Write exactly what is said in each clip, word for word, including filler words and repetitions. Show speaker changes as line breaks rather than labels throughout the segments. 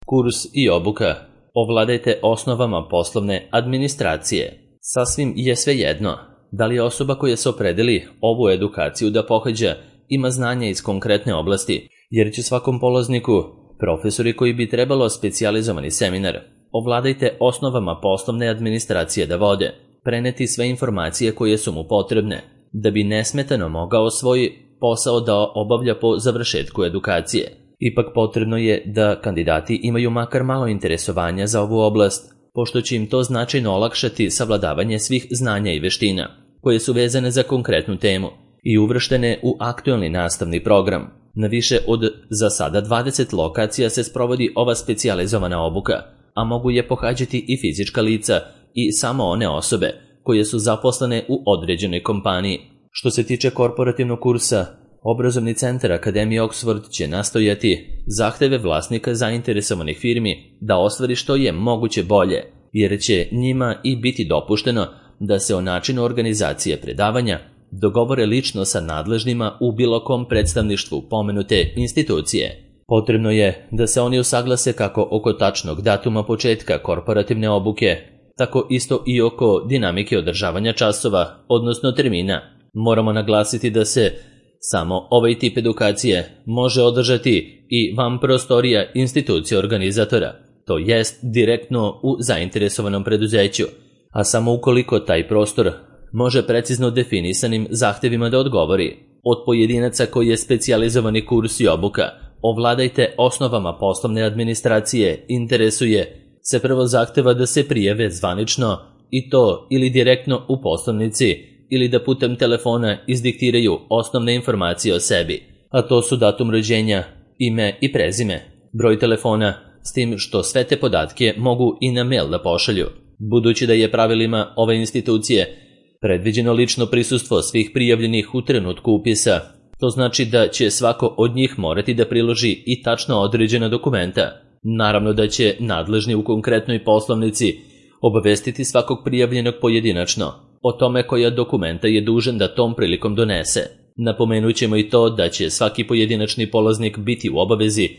Kurs i obuka. Ovladajte osnovama poslovne administracije. Sasvim je svejedno da li osoba koja se opredeli ovu edukaciju da pohađa ima znanja iz konkretne oblasti, jer će svakom polazniku profesori koji bi trebalo specijalizovani seminar ovladajte osnovama poslovne administracije da vode, preneti sve informacije koje su mu potrebne, da bi nesmetano mogao svoj posao da obavlja po završetku edukacije. Ipak potrebno je da kandidati imaju makar malo interesovanja za ovu oblast, pošto će im to značajno olakšati savladavanje svih znanja i veština, koje su vezane za konkretnu temu i uvrštene u aktuelni nastavni program. Na više od za sada dvadeset lokacija se sprovodi ova specijalizovana obuka, a mogu je pohađati i fizička lica i samo one osobe koje su zaposlene u određenoj kompaniji. Što se tiče korporativnog kursa, Obrazovni centar Akademije Oxford će nastojati zahteve vlasnika zainteresovanih firmi da ostvari što je moguće bolje, jer će njima i biti dopušteno da se o načinu organizacije predavanja dogovore lično sa nadležnima u bilo kom predstavništvu pomenute institucije. Potrebno je da se oni usaglase kako oko tačnog datuma početka korporativne obuke, tako isto i oko dinamike održavanja časova, odnosno termina. Moramo naglasiti da se samo ovaj tip edukacije može održati i van prostorija institucije organizatora, to jest direktno u zainteresovanom preduzeću, a samo ukoliko taj prostor može precizno definisanim zahtevima da odgovori. Od pojedinaca koji je specijalizovani kurs i obuka ovladajte osnovama poslovne administracije interesuje se prvo zahteva da se prijave zvanično i to ili direktno u poslovnici ili da putem telefona izdiktiraju osnovne informacije o sebi, a to su datum rođenja, ime i prezime, broj telefona, s tim što sve te podatke mogu i na mail da pošalju. Budući da je pravilima ove institucije predviđeno lično prisustvo svih prijavljenih u trenutku upisa, to znači da će svako od njih morati da priloži i tačno određena dokumenta. Naravno da će nadležni u konkretnoj poslovnici obavestiti svakog prijavljenog pojedinačno o tome koja dokumenta je dužan da tom prilikom donese. Napomenut ćemo i to da će svaki pojedinačni polaznik biti u obavezi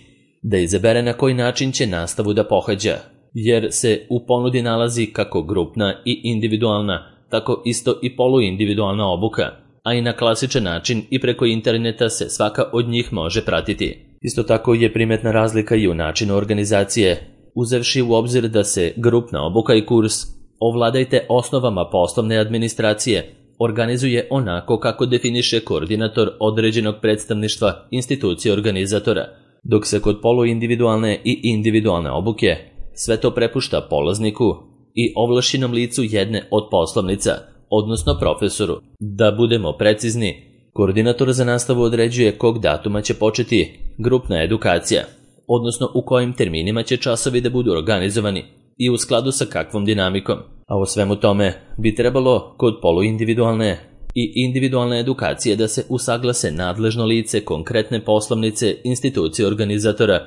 da izabere na koji način će nastavu da pohađa, jer se u ponudi nalazi kako grupna i individualna, tako isto i poluindividualna obuka, a i na klasičan način i preko interneta se svaka od njih može pratiti. Isto tako je primetna razlika i u načinu organizacije, uzevši u obzir da se grupna obuka i kurs ovladajte osnovama poslovne administracije organizuje onako kako definiše koordinator određenog predstavništva institucije organizatora, dok se kod poluindividualne i individualne obuke sve to prepušta polazniku i ovlašćenom licu jedne od poslovnica, odnosno profesoru. Da budemo precizni, koordinator za nastavu određuje kog datuma će početi grupna edukacija, odnosno u kojim terminima će časovi da budu organizovani i u skladu sa kakvom dinamikom. A o svemu tome bi trebalo kod poluindividualne i individualne edukacije da se usaglase nadležno lice konkretne poslovnice institucije organizatora,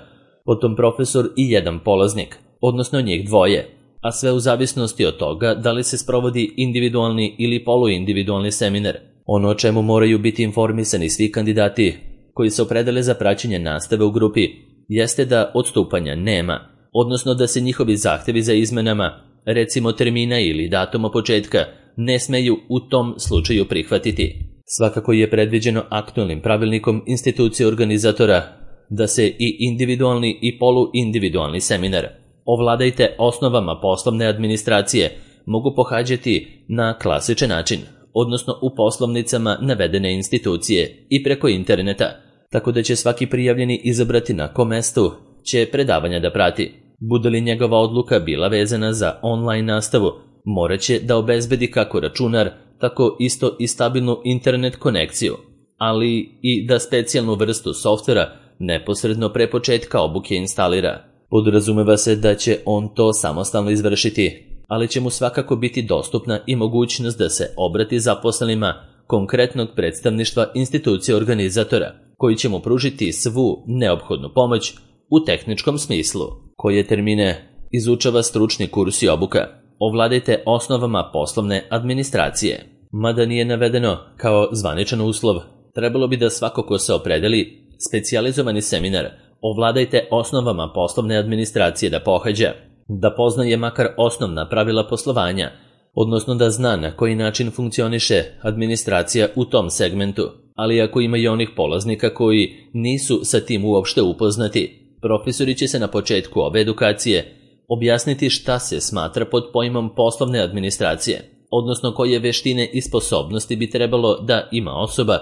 potom profesor i jedan polaznik, odnosno njih dvoje, a sve u zavisnosti od toga da li se sprovodi individualni ili poluindividualni seminar. Ono o čemu moraju biti informisani svi kandidati koji se opredele za praćenje nastave u grupi jeste da odstupanja nema, odnosno da se njihovi zahtevi za izmenama, recimo termina ili datuma početka, ne smeju u tom slučaju prihvatiti. Svakako je predviđeno aktualnim pravilnikom institucije organizatora da se i individualni i poluindividualni seminar ovladajte osnovama poslovne administracije mogu pohađati na klasičan način, odnosno u poslovnicama navedene institucije i preko interneta, tako da će svaki prijavljeni izabrati na kom mestu će predavanja da prati. Bude li njegova odluka bila vezana za online nastavu, morat će da obezbedi kako računar, tako isto i stabilnu internet konekciju, ali i da specijalnu vrstu softvera neposredno pre početka obuke instalira. Podrazumeva se da će on to samostalno izvršiti, ali će mu svakako biti dostupna i mogućnost da se obrati zaposlenima konkretnog predstavništva institucije organizatora, koji će mu pružiti svu neophodnu pomoć u tehničkom smislu. Koje termine izučava stručni kurs i obuka? Ovladajte osnovama poslovne administracije. Mada nije navedeno kao zvaničan uslov, trebalo bi da svako ko se opredeli specijalizovani seminar ovladajte osnovama poslovne administracije da pohađa, da poznaje makar osnovna pravila poslovanja, odnosno da zna na koji način funkcioniše administracija u tom segmentu, ali ako ima i onih polaznika koji nisu sa tim uopšte upoznati, profesori će se na početku ove edukacije objasniti šta se smatra pod pojmom poslovne administracije, odnosno koje veštine i sposobnosti bi trebalo da ima osoba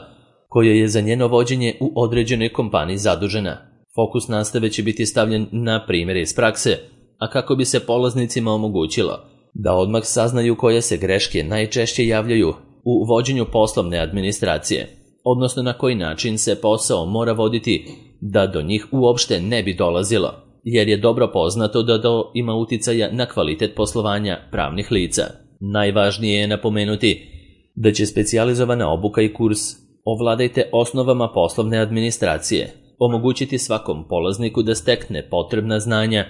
koja je za njeno vođenje u određenoj kompaniji zadužena. Fokus nastave će biti stavljen na primjere iz prakse, a kako bi se polaznicima omogućilo da odmah saznaju koje se greške najčešće javljaju u vođenju poslovne administracije, odnosno na koji način se posao mora voditi da do njih uopšte ne bi dolazilo, jer je dobro poznato da to ima uticaja na kvalitet poslovanja pravnih lica. Najvažnije je napomenuti da će specijalizovana obuka i kurs Ovladajte osnovama poslovne administracije omogućiti svakom polazniku da stekne potrebna znanja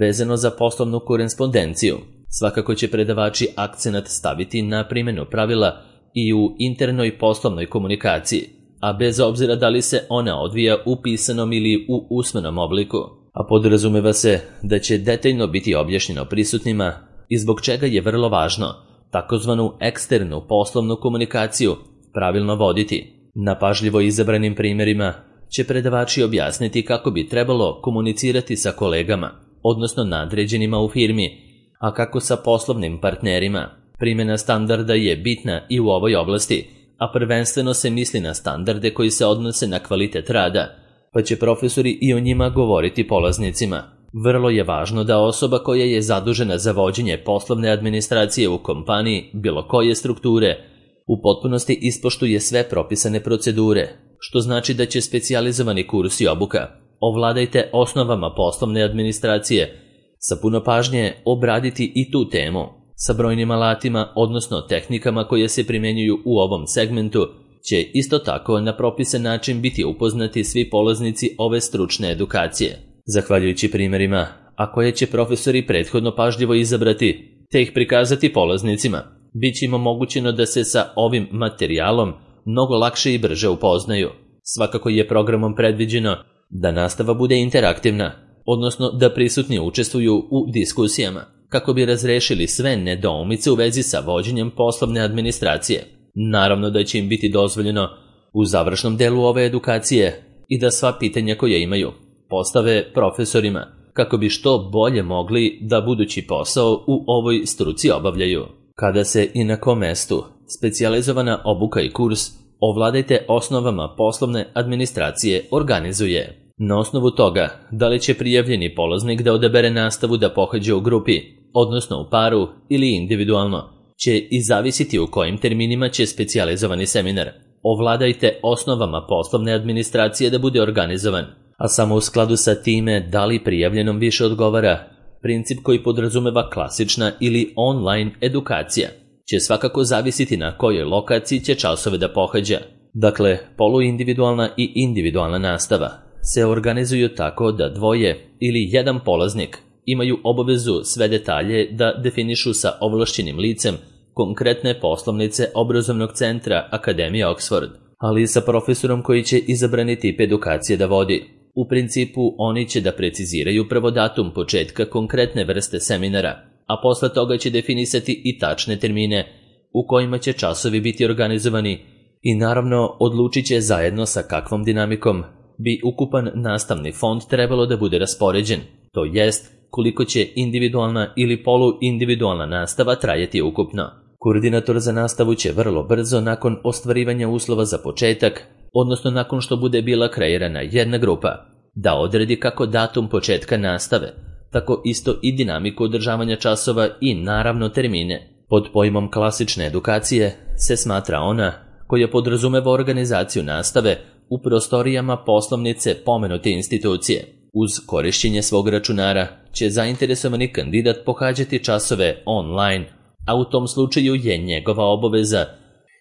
vezano za poslovnu korespondenciju. Svakako će predavači akcenat staviti na primjenu pravila i u internoj poslovnoj komunikaciji, a bez obzira da li se ona odvija u pisanom ili u usmenom obliku, a podrazumeva se da će detaljno biti objašnjeno prisutnima i zbog čega je vrlo važno takozvanu eksternu poslovnu komunikaciju pravilno voditi. Na pažljivo izabranim primjerima će predavači objasniti kako bi trebalo komunicirati sa kolegama, odnosno nadređenima u firmi, a kako sa poslovnim partnerima. Primjena standarda je bitna i u ovoj oblasti, a prvenstveno se misli na standarde koji se odnose na kvalitet rada, pa će profesori i o njima govoriti polaznicima. Vrlo je važno da osoba koja je zadužena za vođenje poslovne administracije u kompaniji bilo koje strukture u potpunosti ispoštuje sve propisane procedure, što znači da će specijalizovani kurs i obuka Ovladajte osnovama poslovne administracije sa puno pažnje obraditi i tu temu, sa brojnim alatima, odnosno tehnikama koje se primjenjuju u ovom segmentu, će isto tako na propisan način biti upoznati svi polaznici ove stručne edukacije. Zahvaljujući primjerima, a koje će profesori prethodno pažljivo izabrati, te ih prikazati polaznicima, bit će im omogućeno da se sa ovim materijalom mnogo lakše i brže upoznaju. Svakako je programom predviđeno da nastava bude interaktivna, odnosno da prisutni učestvuju u diskusijama, kako bi razrešili sve nedoumice u vezi sa vođenjem poslovne administracije. Naravno da će im biti dozvoljeno u završnom delu ove edukacije i da sva pitanja koje imaju postave profesorima, kako bi što bolje mogli da budući posao u ovoj struci obavljaju. Kada se i na kom mestu specijalizovana obuka i kurs Ovladajte osnovama poslovne administracije organizuje. Na osnovu toga, da li će prijavljeni polaznik da odabere nastavu da pohađa u grupi, odnosno u paru ili individualno, će i zavisiti u kojim terminima će specijalizovani seminar Ovladajte osnovama poslovne administracije da bude organizovan, a samo u skladu sa time da li prijavljenom više odgovara princip koji podrazumeva klasična ili online edukacija, će svakako zavisiti na kojoj lokaciji će časove da pohađa. Dakle, poluindividualna i individualna nastava se organizuju tako da dvoje ili jedan polaznik imaju obavezu sve detalje da definišu sa ovlašćenim licem konkretne poslovnice obrazovnog centra Akademije Oxford, ali i sa profesorom koji će izabrani tip edukacije da vodi. U principu oni će da preciziraju prvo datum početka konkretne vrste seminara, a posle toga će definisati i tačne termine u kojima će časovi biti organizovani i naravno odlučit će zajedno sa kakvom dinamikom bi ukupan nastavni fond trebalo da bude raspoređen, to jest koliko će individualna ili poluindividualna nastava trajati ukupno. Koordinator za nastavu će vrlo brzo nakon ostvarivanja uslova za početak, odnosno nakon što bude bila kreirana jedna grupa, da odredi kako datum početka nastave, tako isto i dinamiku održavanja časova i naravno termine. Pod pojmom klasične edukacije se smatra ona koja podrazumeva organizaciju nastave u prostorijama poslovnice pomenute institucije. Uz korišćenje svog računara će zainteresovani kandidat pohađati časove online, a u tom slučaju je njegova obaveza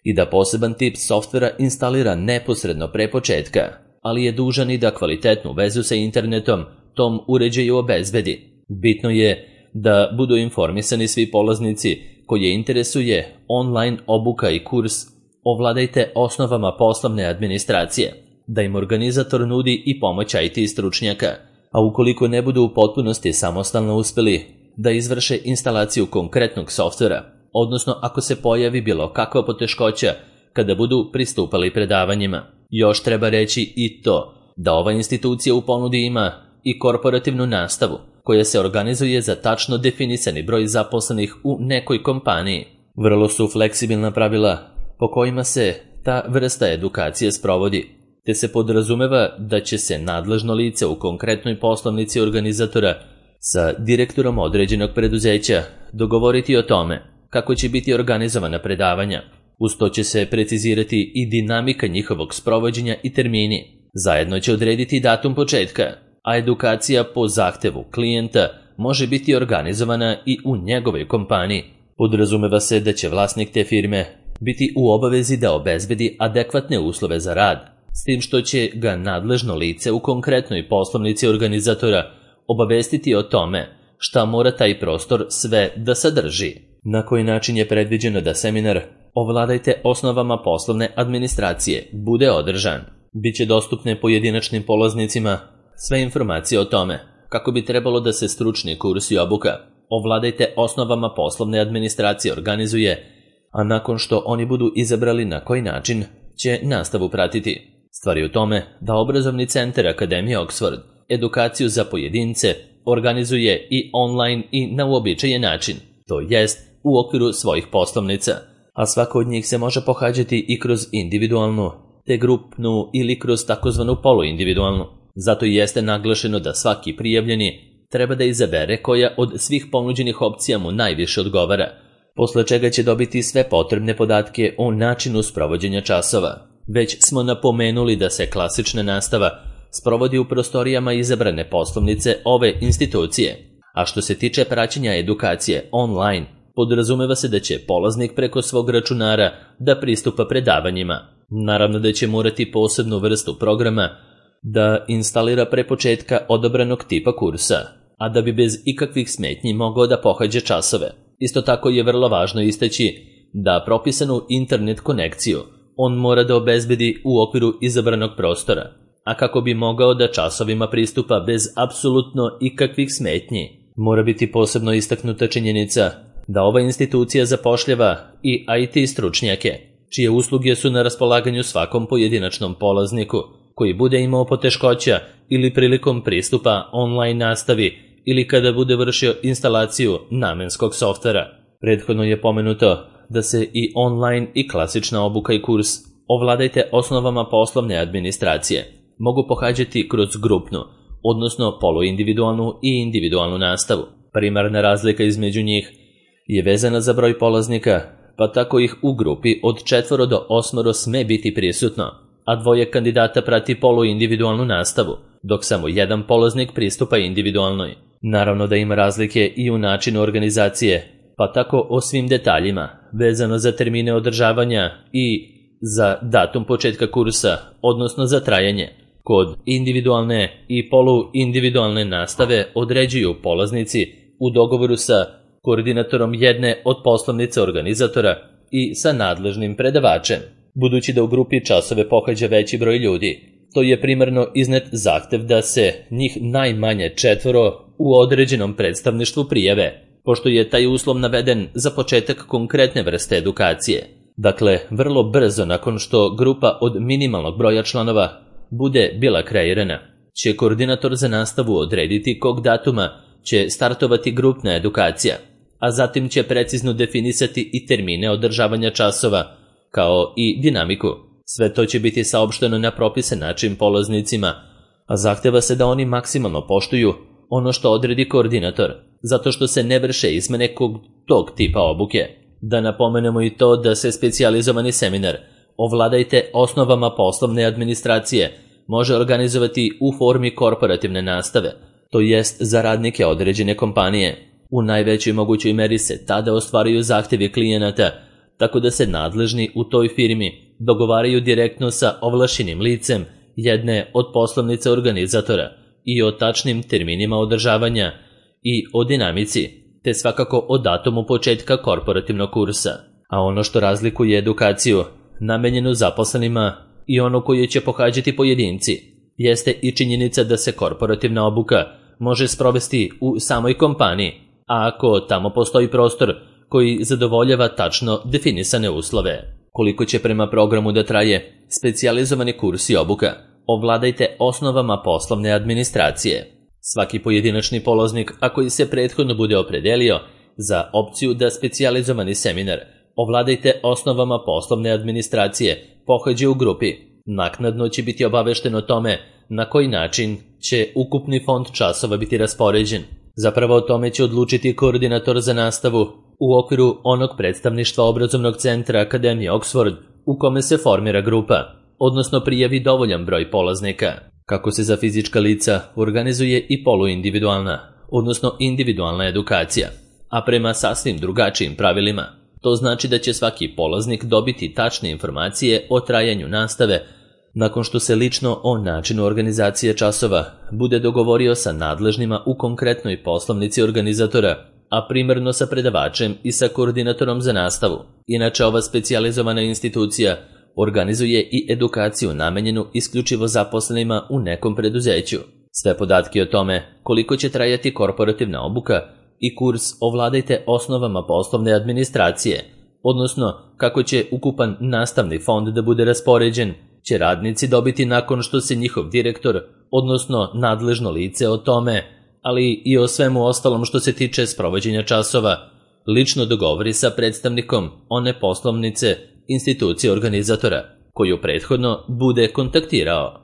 i da poseban tip softvera instalira neposredno pre početka, ali je dužan i da kvalitetnu vezu sa internetom tom uređaju obezbedi. Bitno je da budu informisani svi polaznici koje interesuje online obuka i kurs Ovladajte osnovama poslovne administracije, da im organizator nudi i pomoć I T stručnjaka, a ukoliko ne budu u potpunosti samostalno uspeli da izvrše instalaciju konkretnog softvera, odnosno ako se pojavi bilo kakva poteškoća kada budu pristupali predavanjima. Još treba reći i to da ova institucija u ponudi ima i korporativnu nastavu koja se organizuje za tačno definisani broj zaposlenih u nekoj kompaniji. Vrlo su fleksibilna pravila po kojima se ta vrsta edukacije sprovodi, te se podrazumeva da će se nadležno lice u konkretnoj poslovnici organizatora sa direktorom određenog preduzeća dogovoriti o tome kako će biti organizovana predavanja. Uz to će se precizirati i dinamika njihovog sprovođenja i termini. Zajedno će odrediti datum početka, a edukacija po zahtevu klijenta može biti organizovana i u njegovoj kompaniji. Podrazumeva se da će vlasnik te firme biti u obavezi da obezbedi adekvatne uslove za rad, s tim što će ga nadležno lice u konkretnoj poslovnici organizatora obavestiti o tome šta mora taj prostor sve da sadrži. Na koji način je predviđeno da seminar Ovladajte osnovama poslovne administracije bude održan? Biće dostupne pojedinačnim polaznicima sve informacije o tome kako bi trebalo da se stručni kurs i obuka Ovladajte osnovama poslovne administracije organizuje, a nakon što oni budu izabrali na koji način će nastavu pratiti. Stvar je u tome da obrazovni centar Akademije Oxford edukaciju za pojedince organizuje i online i na uobičajen način, to jest u okviru svojih poslovnica, a svako od njih se može pohađati i kroz individualnu, te grupnu ili kroz takozvanu poluindividualnu. Zato i jeste naglašeno da svaki prijavljeni treba da izabere koja od svih ponuđenih opcija mu najviše odgovara, posle čega će dobiti sve potrebne podatke o načinu sprovođenja časova. Već smo napomenuli da se klasična nastava sprovodi u prostorijama izabrane poslovnice ove institucije, a što se tiče praćenja edukacije online, podrazumeva se da će polaznik preko svog računara da pristupa predavanjima. Naravno da će morati posebnu vrstu programa da instalira pre početka odabranog tipa kursa, a da bi bez ikakvih smetnji mogao da pohađa časove. Isto tako je vrlo važno istaći da propisanu internet konekciju on mora da obezbedi u okviru izabranog prostora, a kako bi mogao da časovima pristupa bez apsolutno ikakvih smetnji, mora biti posebno istaknuta činjenica da ova institucija zapošljava i I T stručnjake, čije usluge su na raspolaganju svakom pojedinačnom polazniku koji bude imao poteškoća ili prilikom pristupa online nastavi ili kada bude vršio instalaciju namenskog softvera. Prethodno je pomenuto da se i online i klasična obuka i kurs Ovladajte osnovama poslovne administracije mogu pohađati kroz grupnu, odnosno poluindividualnu i individualnu nastavu. Primarna razlika između njih je vezana za broj polaznika, pa tako ih u grupi od četvoro do osmoro sme biti prisutno, a dvoje kandidata prati poluindividualnu nastavu, dok samo jedan polaznik pristupa individualnoj. Naravno da ima razlike i u načinu organizacije, pa tako o svim detaljima, vezano za termine održavanja i za datum početka kursa, odnosno za trajanje. Kod individualne i poluindividualne nastave određuju polaznici u dogovoru sa koordinatorom jedne od poslovnice organizatora i sa nadležnim predavačem. Budući da u grupi časove pohađa veći broj ljudi, to je primarno iznet zahtev da se njih najmanje četvoro u određenom predstavništvu prijave, pošto je taj uslov naveden za početak konkretne vrste edukacije. Dakle, vrlo brzo nakon što grupa od minimalnog broja članova bude bila kreirana, će koordinator za nastavu odrediti kog datuma će startovati grupna edukacija, a zatim će precizno definisati i termine održavanja časova, kao i dinamiku. Sve to će biti saopšteno na propisan način polaznicima, a zahteva se da oni maksimalno poštuju ono što odredi koordinator, zato što se ne vrše izmene kog tog tipa obuke. Da napomenemo i to da se specijalizovani seminar Ovladajte osnovama poslovne administracije može organizovati u formi korporativne nastave, to jest za radnike određene kompanije. U najvećoj mogućoj meri se tada ostvaruju zahtevi klijenata, tako da se nadležni u toj firmi dogovaraju direktno sa ovlašćenim licem jedne od poslovnice organizatora i o tačnim terminima održavanja i o dinamici, te svakako o datumu početka korporativnog kursa. A ono što razlikuje edukaciju namenjenu zaposlenima i ono koje će pohađati pojedinci, jeste i činjenica da se korporativna obuka može sprovesti u samoj kompaniji, a ako tamo postoji prostor koji zadovoljava tačno definisane uslove. Koliko će prema programu da traje specijalizovani kurs i obuka? Ovladajte osnovama poslovne administracije. Svaki pojedinačni polaznik, ako se prethodno bude opredelio za opciju da specijalizovani seminar ovladajte osnovama poslovne administracije pohađa u grupi, naknadno će biti obavešten o tome na koji način će ukupni fond časova biti raspoređen. Zapravo o tome će odlučiti koordinator za nastavu u okviru onog predstavništva obrazovnog centra Akademije Oxford u kome se formira grupa, odnosno prijavi dovoljan broj polaznika. Kako se za fizička lica organizuje i poluindividualna, odnosno individualna edukacija, a prema sasvim drugačijim pravilima. To znači da će svaki polaznik dobiti tačne informacije o trajanju nastave nakon što se lično o načinu organizacije časova bude dogovorio sa nadležnima u konkretnoj poslovnici organizatora, a primarno sa predavačem i sa koordinatorom za nastavu. Inače, ova specijalizovana institucija organizuje i edukaciju namenjenu isključivo zaposlenima u nekom preduzeću. Sve podatke o tome koliko će trajati korporativna obuka i kurs ovladajte osnovama poslovne administracije, odnosno kako će ukupan nastavni fond da bude raspoređen, će radnici dobiti nakon što se njihov direktor, odnosno nadležno lice o tome, ali i o svemu ostalom što se tiče sprovođenja časova, lično dogovori sa predstavnikom one poslovnice institucije organizatora, koju prethodno bude kontaktirao.